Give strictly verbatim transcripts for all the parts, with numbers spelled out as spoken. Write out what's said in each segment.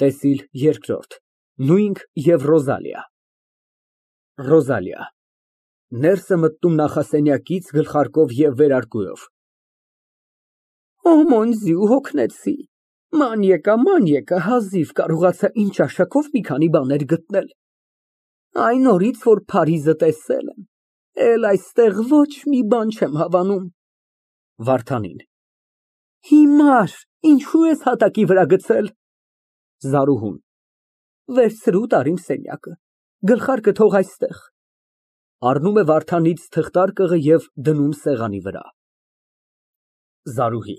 ՏԵՍԻԼ ԵՐԿՐՈՐԴ ՆՈՒՅՆՔ ԵՎ ՌՈԶԱԼԻԱ ՌՈԶԱԼԻԱ ֊ (Ներս է մտնում նախասենյակից գլխարկով և վերարկուով) Օմոնձի ու հոգնեցի, ման եկա, ման եկա, հազիվ կարողացա իմ ճաշակով մի քանի բաներ գտնել, այն օրից, որ Փարիզը տեսել եմ, էլ այստեղ ոչ մի բան չեմ հավանում։ (Վարդանին) Հիմար, ինչո՞ւ ես հատակի վրա գցել։ (Զարուհուն) Վերցրու, տար իմ սենյակը, գլխարկը թող այստեղ։ (Առնում է Վարդանից թղթարկղը և դնում սեղանի վրա)։ ԶԱՐՈՒՀԻ ֊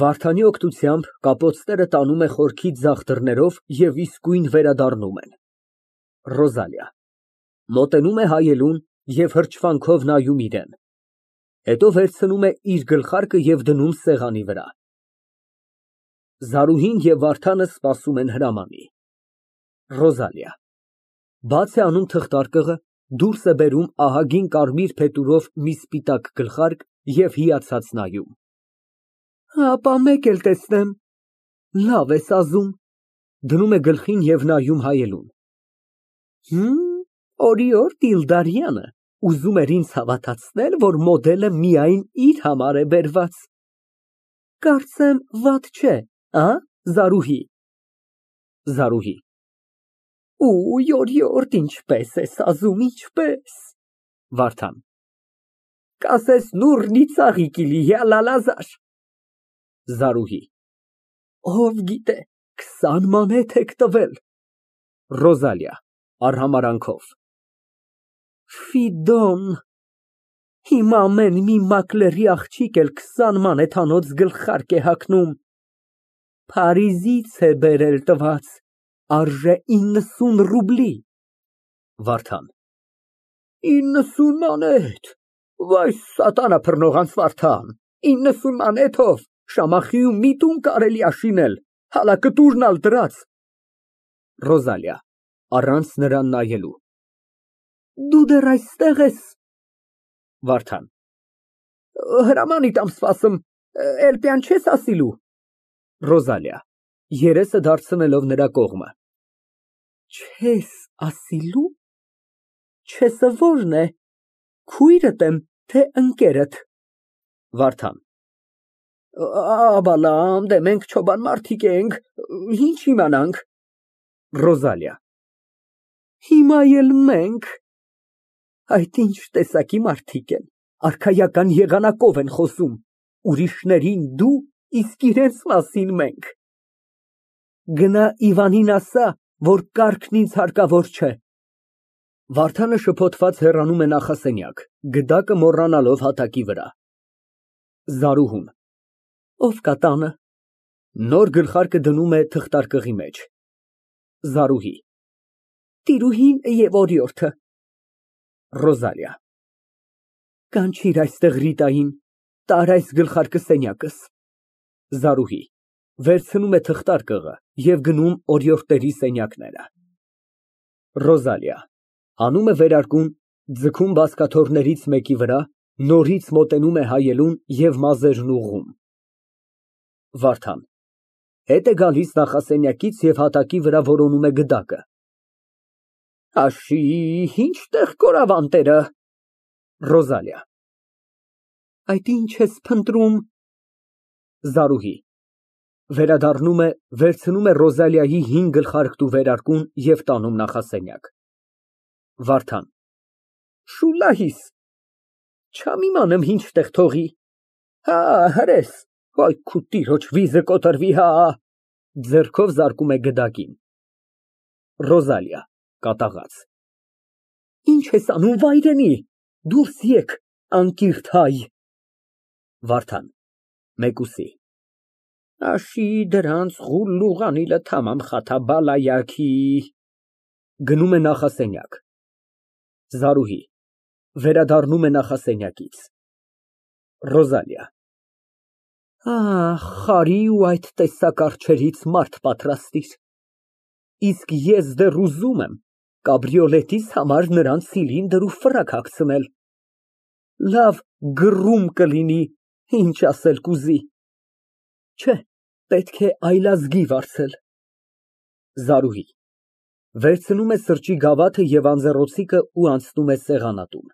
(Վարդանի օգնությամբ կապոցները տանում է խորքի ձախ դռներով և իսկույն վերադառնում են)։ ՌՈԶԱԼԻԱ ֊ (Մոտենում է հայելուն և հրճվանքով նայում իրան, հետո վերցնում է իր գլխարկը և դնում սեղանի վրա)։ (Զարուհին և Վարդանը սպասում են հրամանի)։ ՌՈԶԱԼԻԱ ֊ (Բաց է անում թղթարկղը, դուրս է բերում ահագին կարմիր փետուրով մի սպիտակ գլխարկ և հիացած նայում) Հապա մեկ էլ տեսնեմ, լավ ես ասում։ (Դնում է գլխին և նայում հայելուն) Հըմ, օրիորդ Իլդարյանը ուզում էր ինձ հավատացնել, որ մոդելը միայն իր համար է բերված, կարծեմ վատ չէ, ա՞, Զարուհի։ ԶԱՐՈՒՀԻ ֊ Ուй, օրիորդ, ինչպես ես ասում, ինչպես։ (Վարդան) Կասես նուռնի ծաղիկիլի, յա լալազար։ ԶԱՐՈՒՀԻ ֊ Ով գիտե, քսան մանեթ եք տվել։ ՌՈԶԱԼԻԱ ֊ (Արհամարհանքով) Ֆիդոն, հիմա ամեն մի մակլերի աղջիկ էլ քսան մանեթանոց գլխարկ է հագնում, Փարիզից է բերել տված, արժե իննսուն ռուբլի։ (Վարդան) Իննսուն մանեթ, վայ սատանա փռնողանց Վարդան, իննսուն մանեթով Շամախիում մի տուն կարելի ա շինել, հալա կտուրն ալ դրած։ ՌՈԶԱԼԻԱ ֊ (Առանց նրան նայելու) Դու դեռ այստեղ ես։ (Վարդան) Հրամանիդ ամ սպասում, էլպյան չես ասիլու։ ՌՈԶԱԼԻԱ ֊ (Երեսը դարձնելով նրա կողմը) Չես ասիլու, չեսը ո՞րն է, քույրդ եմ, թե ընկերդ։ (Վարդան) Աբալամ, դե մենք չոբան մարդիկ ենք, ինչ իմանանք։ ՌՈԶԱԼԻԱ ֊ Հիմա էլ մենք։ Այդ ինչ տեսակի մարդիկ են, արքայական եղանակով են խոսում, ուրիշներին դու, իսկ իրենց մասին մենք։ Գնա Իվանին ասա, որ կառքն ինձ հարկավոր չէ։ (Վարդանը շփոթված հեռանում է նախասենյակ, գդակը մոռանալով հատակի վրա)։ ԶԱՐՈՒՀՈՒՆ ֊ Ո՞վ կա տանը։ (Նոր գլխարկը դնում է թղթարկղի մեջ)։ ԶԱՐՈՒՀԻ ֊ Տիրուհին և օրիորդը։ ՌՈԶԱԼԻԱ ֊ Կանչիր այստեղ Ռիտային, տար այս գլխարկը սենյակս։ ԶԱՐՈՒՀԻ ֊ (Վերցնում է թղթարկղը և գնում օրիորդների սենյակները)։ ՌՈԶԱԼԻԱ ֊ (Հանում է վերարկուն, ձգում բազկաթոռներից մեկի վրա, նորից մոտենում է հայելուն և մազերն ուղղում)։ ՎԱՐԴԱՆ ֊ (Հետ է գալիս նախասենյակից և հատակի վրա որոնում է գդակը) Աշի, ինչ տեղ կորավ անտերը։ ՌՈԶԱԼԻԱ ֊ Այդ ինչ ես փնտրում։ ԶԱՐՈՒՀԻ ֊ (Վերադառնում է, վերցնում է Ռոզալիայի հին գլխարկն ու վերարկուն և տանում նախասենյակ)։ ՎԱՐԴԱՆ ֊ Շուլլահիս, չամ իմանում ինչ տեղ թողի։ Հա, հրես, այ քո տիրոջ վիզը կոտրվի հա։ (Ձեռքով զարկում է գդակին)։ ՌՈԶԱԼԻԱ ֊ (Կատաղած) Ինչ ես անում, վայրենի, դուրս եկ, անկիրթ հայ։ ՎԱՐԴԱՆ ֊ (Մեկուսի) Աշի, դրանց ղուլլուղ անիլը թամամ խաթաբալայաքի։ (Գնում է նախասենյակ)։ ԶԱՐՈՒՀԻ ֊ (Վերադառնում է նախասենյակից) ՌՈԶԱԼԻԱ ֊ Ահ, խարի ու այդ տեսակ արջերից մարդ պատրաստիր, իսկ ես դեռ ուզում եմ կաբրիոլետիս համար նրան ցիլինդր ու ֆրակ հագցնել, լավ գռում կլինի, ինչ ասել կուզի։ Չէ, պետք է այլազգի վարձել։ ԶԱՐՈՒՀԻ ֊ (Վերցնում է սրճի գավաթը և անձեռնոցիկը ու անցնում է սեղանատուն)։